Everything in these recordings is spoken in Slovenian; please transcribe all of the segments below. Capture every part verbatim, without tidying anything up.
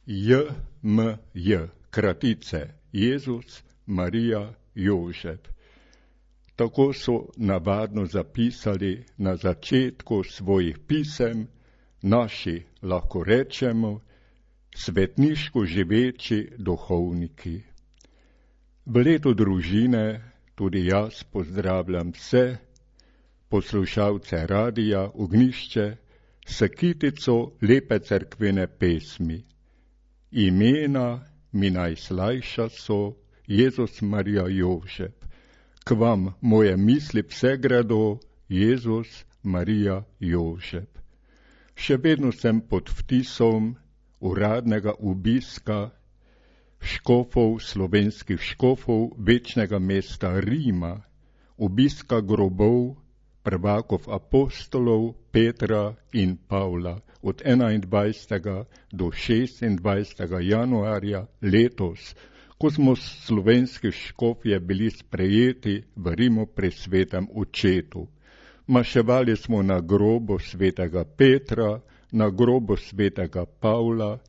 J M J, kratice, Jezus, Marija, Jožef. Tako so navadno zapisali na začetku svojih pisem naši, lahko rečemo, svetniško živeči duhovniki. V letu družine tudi jaz pozdravljam vse poslušalce radija Ognjišče s kitico lepe cerkvene pesmi. Imena mi najslajša so Jezus, Marija, Jožef. K vam moje misli vse gredo, Jezus, Marija, Jožef. Še vedno sem pod vtisom uradnega obiska škofov, slovenskih škofov večnega mesta Rima, obiska grobov prvakov apostolov Petra in Pavla od enaindvajsetega do šestindvajsetega januarja letos, ko smo slovenski škofje bili sprejeti v Rimu pri svetem očetu. Maševali smo na grobu svetega Petra, na grobu svetega Pavla,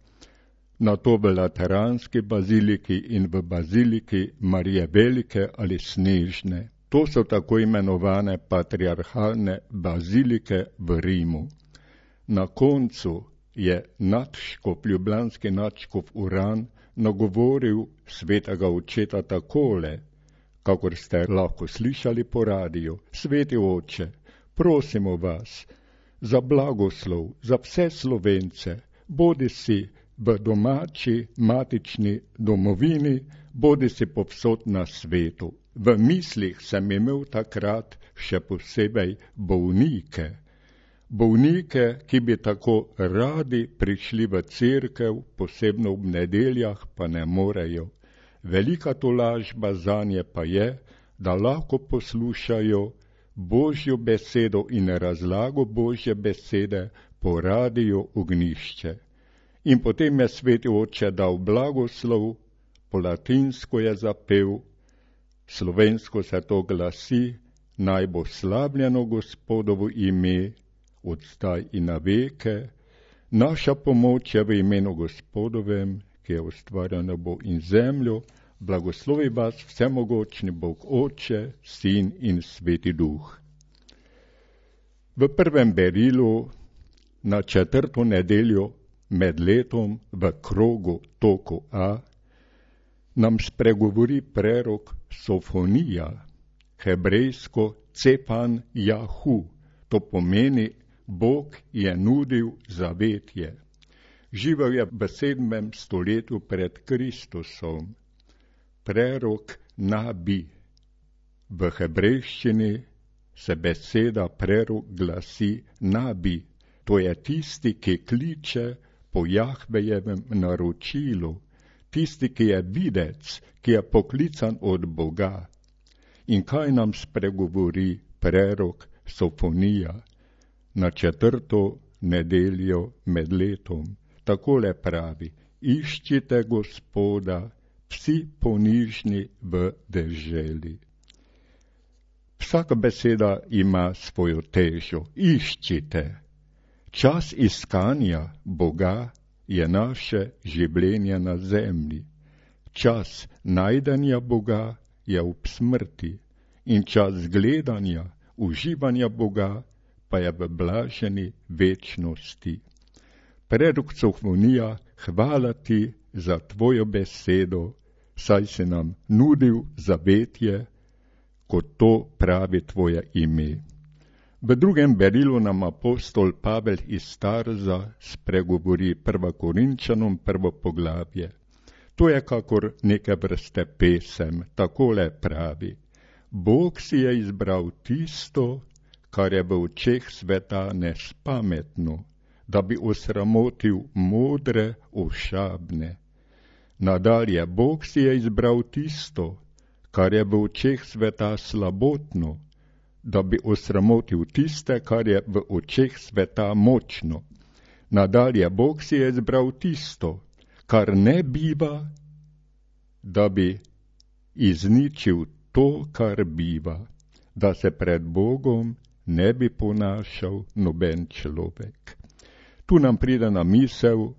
na to v Lateranski baziliki in v baziliki Marije Velike ali Snežne. To so tako imenovane patriarhalne bazilike v Rimu. Na koncu je nadškof, ljubljanski nadškof Uran, nagovoril svetega očeta takole, kakor ste lahko slišali po radiju: Sveti oče, prosimo vas za blagoslov za vse Slovence, bodi si v domači matični domovini, bodi si povsod na svetu. V mislih sem imel takrat še posebej bolnike. Bolnike, ki bi tako radi prišli v cerkev, posebno ob nedeljah, pa ne morejo. Velika tolažba zanje pa je, da lahko poslušajo Božjo besedo in razlago Božje besede po radiju Ognjišče. In potem je sveti oče dal blagoslov, po latinsko je zapel, slovensko se to glasi: naj bo slavljeno Gospodovo ime, od zdaj in na veke. Naša pomoč je v imenu Gospodovem, ki je ustvarjal nebo in zemljo. Blagoslovi vas vsemogočni Bog Oče, Sin in Sveti Duh. V prvem berilu na četrto nedeljo med letom v krogu toku A nam spregovori prerok Sofonija, hebrejsko Cepan Jahu. To pomeni, Bog je nudil zavetje. Živel je v sedmem stoletju pred Kristusom. Prerok Nabi. V hebrejščini se beseda prerok glasi Nabi. To je tisti, ki kliče po Jahvejevem naročilu, tisti, ki je videc, ki je poklican od Boga. In kaj nam spregovori prerok Sofonija na četrto nedeljo med letom? Takole pravi: iščite Gospoda, vsi ponižni v deželi. Vsaka beseda ima svojo težo. Iščite. Čas iskanja Boga je naše življenje na zemlji. Čas najdenja Boga je ob smrti in čas gledanja, uživanja Boga pa je v blaženi večnosti. Prerok Sofonija, hvala ti za tvojo besedo, saj si nam nudil zavetje, kot to pravi tvoje ime. V drugem berilu nam apostol Pavel iz Tarza spregovori prva Korinčanom prvo poglavje. To je kakor neke vrste pesem, takole pravi: Bog si je izbral tisto, kar je v očeh sveta nespametno, da bi osramotil modre, ošabne. Nadalje, Bog si je izbral tisto, kar je v očeh sveta slabotno, da bi osramotil tiste, kar je v očeh sveta močno. Nadalje, Bog si je izbral tisto, kar ne biva, da bi izničil to, kar biva, da se pred Bogom ne bi ponašal noben človek. Tu nam pride na misel,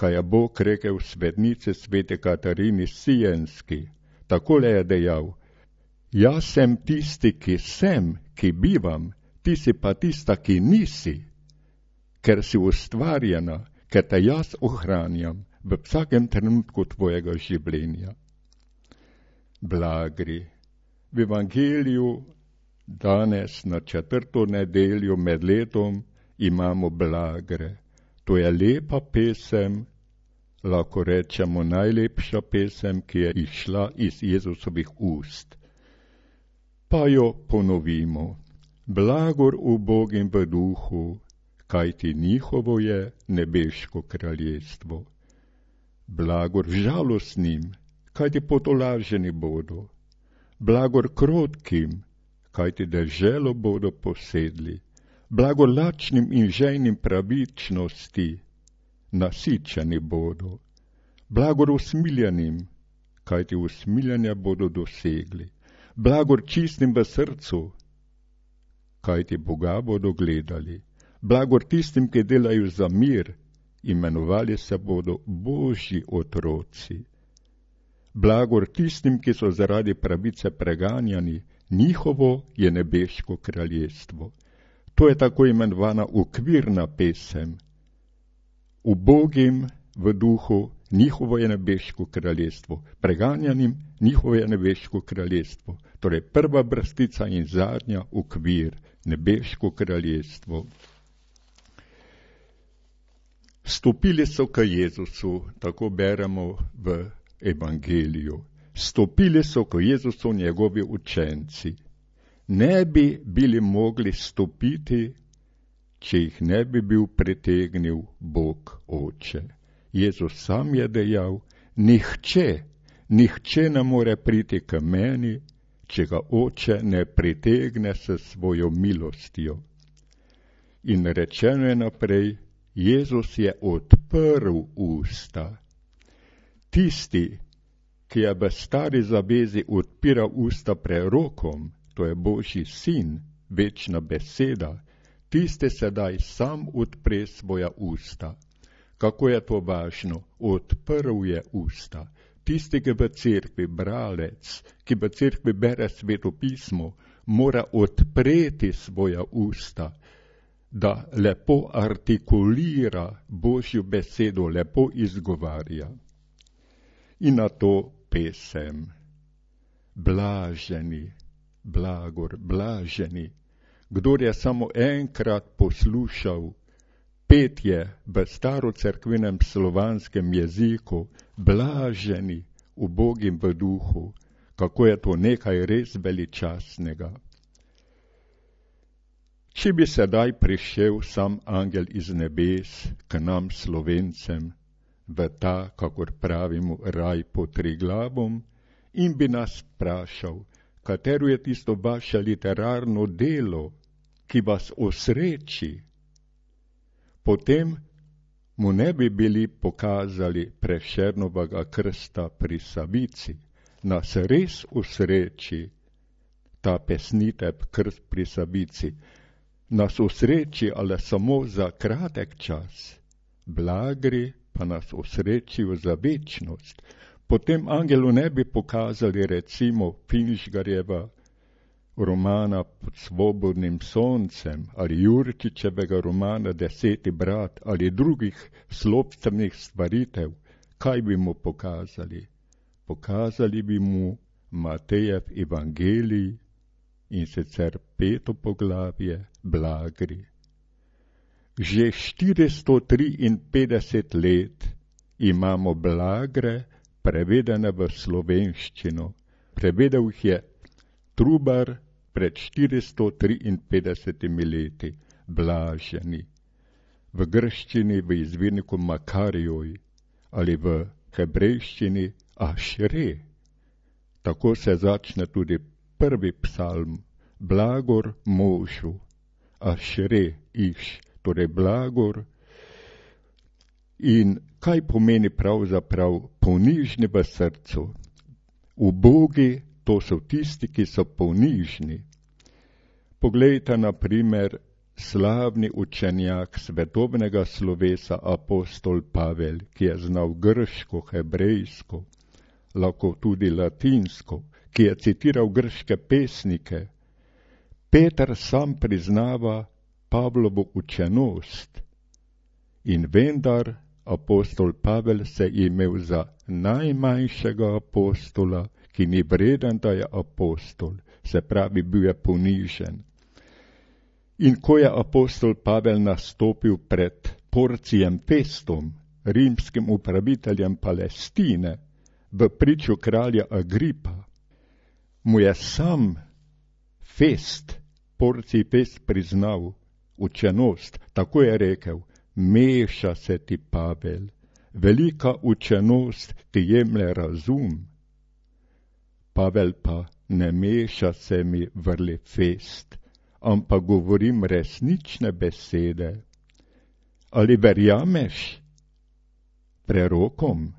kaj je Bog rekel svetnici svete Katarini Sienski. Takole je dejal: jaz sem tisti, ki sem, ki bivam, ti si pa tista, ki nisi, ker si ustvarjena, ker te jaz ohranjam v vsakem trenutku tvojega življenja. Blagri. V Evangeliju danes na četrto nedeljo med letom imamo blagre. To je lepa pesem, lahko rečemo najlepša pesem, ki je išla iz Jezusovih ust. Pa jo ponovimo. Blagor ubogim v duhu, kajti njihovo je nebeško kraljestvo. Blagor žalostnim, kajti potolaženi bodo. Blagor krotkim, kajti deželo bodo posedli. Blagor lačnim in žejnim pravičnosti, nasičeni bodo. Blagor usmiljenim, kajti usmiljanja bodo dosegli. Blagor čistim v srcu, kajti Boga bodo gledali. Blagor tistim, ki delajo za mir, imenovali se bodo Božji otroci. Blagor tistim, ki so zaradi pravice preganjani, njihovo je nebeško kraljestvo. To je tako imenovana okvirna pesem. Ubogim v duhu, njihovo je nebeško kraljestvo. Preganjanim, njihovo je nebeško kraljestvo. Torej prva brstica in zadnja okvir, nebeško kraljestvo. Stopili so k Jezusu, tako beremo v Evangeliju. Stopili so k Jezusu njegovi učenci. Ne bi bili mogli stopiti, če jih ne bi bil pritegnil Bog Oče. Jezus sam je dejal: nihče, nihče ne more priti k meni, če ga Oče ne pritegne s svojo milostjo. In rečeno je naprej, Jezus je odprl usta. Tisti, ki je v stari zavezi odpiral usta prerokom, to je Božji sin, večna beseda, tisti sedaj sam odpre svoja usta. Kako je to važno? Odprl je usta. Tisti, ki v cerkvi, bralec, ki v cerkvi bere Sveto pismo, mora odpreti svoja usta, da lepo artikulira Božjo besedo, lepo izgovarja. In na to pesem. Blaženi, blagor, blaženi. Kdor je samo enkrat poslušal petje v starocerkvenem slovanskem jeziku, blaženi, ubogim v duhu, kako je to nekaj res veličastnega. Če bi sedaj prišel sam angel iz nebes k nam Slovencem v ta, kakor pravimo, raj pod Triglavom, in bi nas vprašal, katero je tisto vaše literarno delo, ki vas osreči, potem mu ne bi bili pokazali Prešernovega krsta pri Savici. Nas res osreči ta pesnitev krst pri Savici. Nas osreči, ali samo za kratek čas. Blagri pa nas osrečijo za večnost. Potem angelu ne bi pokazali recimo Finžgarjeva romana Pod svobodnim soncem ali Jurčičevega romana Deseti brat ali drugih slopstvenih stvaritev. Kaj bi mu pokazali? Pokazali bi mu Matejev evangelij, in sicer peto poglavje, Blagri. Že štiristo triinpetdeset let imamo blagre prevedene v slovenščino. Prevedel jih je Trubar pred štiristo triinpetdesetimi leti, blaženi. V grščini v izvirniku Makarijoj ali v hebrejščini Ašre. Tako se začne tudi prvi psalm, blagor možu, Ašre, iš, torej blagor. In kaj pomeni pravzaprav ponižni v srcu? Ubogi, to so tisti, ki so ponižni. Poglejte, na primer, slavni učenjak svetovnega slovesa apostol Pavel, ki je znal grško, hebrejsko, lahko tudi latinsko, ki je citiral grške pesnike, Peter sam priznava Pavlovo učenost in vendar apostol Pavel se je imel za najmanjšega apostola, ki ni vreden, da je apostol, se pravi, bil je ponižen. In ko je apostol Pavel nastopil pred Porcijem Festom, rimskim upraviteljem Palestine, v priču kralja Agripa, mu je sam Fest, Porcij Fest priznal učenost, tako je rekel, meša se ti, Pavel, velika učenost ti jemlje razum. Pavel pa, ne meša se mi, vrli Fest, ampak govorim resnične besede. Ali verjameš prerokom?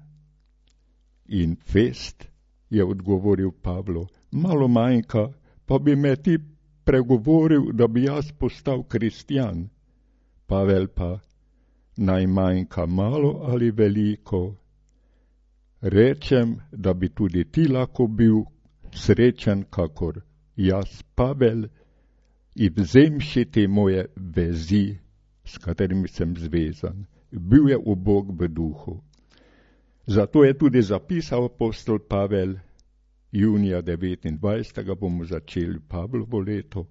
In Fest je odgovoril Pavlu, malo manjka, pa bi me ti pregovoril, da bi jaz postal kristjan. Pavel pa, naj manjka malo ali veliko. Rečem, da bi tudi ti lahko bil srečen, kakor jaz, Pavel, in vzemši te moje vezi, s katerimi sem zvezan. Bil je ubog v duhu. Zato je tudi zapisal apostol Pavel, junija devetindvajsetega bomo začeli Pavlovo leto,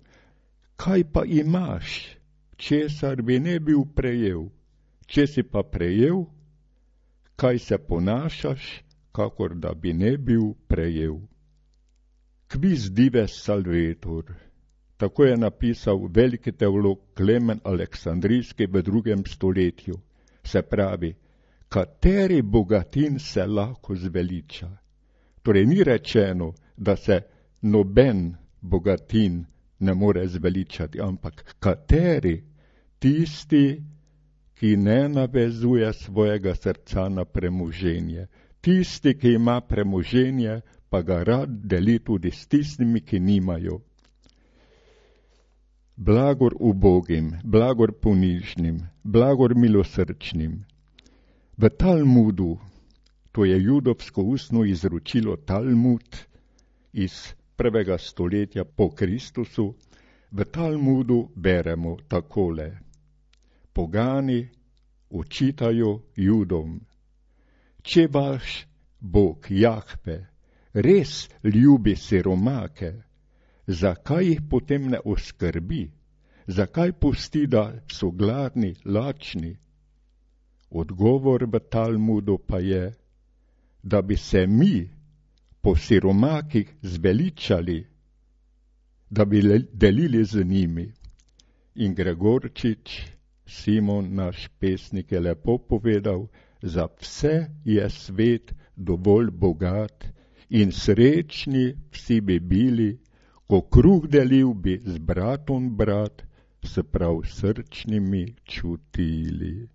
kaj pa imaš, česar bi ne bil prejel, če si pa prejel, kaj se ponašaš, kakor da bi ne bil prejel. Quis dives salvetur, tako je napisal veliki teolog Klemen Aleksandrijski v drugem stoletju, se pravi, kateri bogatin se lahko zveliča. Torej ni rečeno, da se noben bogatin ne more zveličati, ampak kateri, tisti, ki ne navezuje svojega srca na premoženje, tisti, ki ima premoženje, pa ga rad deli tudi s tistimi, ki nimajo. Blagor ubogim, blagor ponižnim, blagor milosrčnim. V Talmudu, to je judovsko ustno izročilo Talmud iz prvega stoletja po Kristusu, v Talmudu beremo takole. Pogani očitajo Judom, če vaš Bog Jahve res ljubi siromake, zakaj jih potem ne oskrbi, zakaj pusti, da so gladni, lačni? Odgovor v Talmudu pa je, da bi se mi po siromakih zveličali, da bi delili z njimi. In Gregorčič, Simon, naš pesnik, je lepo povedal, za vse je svet dovolj bogat in srečni vsi bi bili, ko kruh delil bi z bratom brat, s prav srčnimi čutili.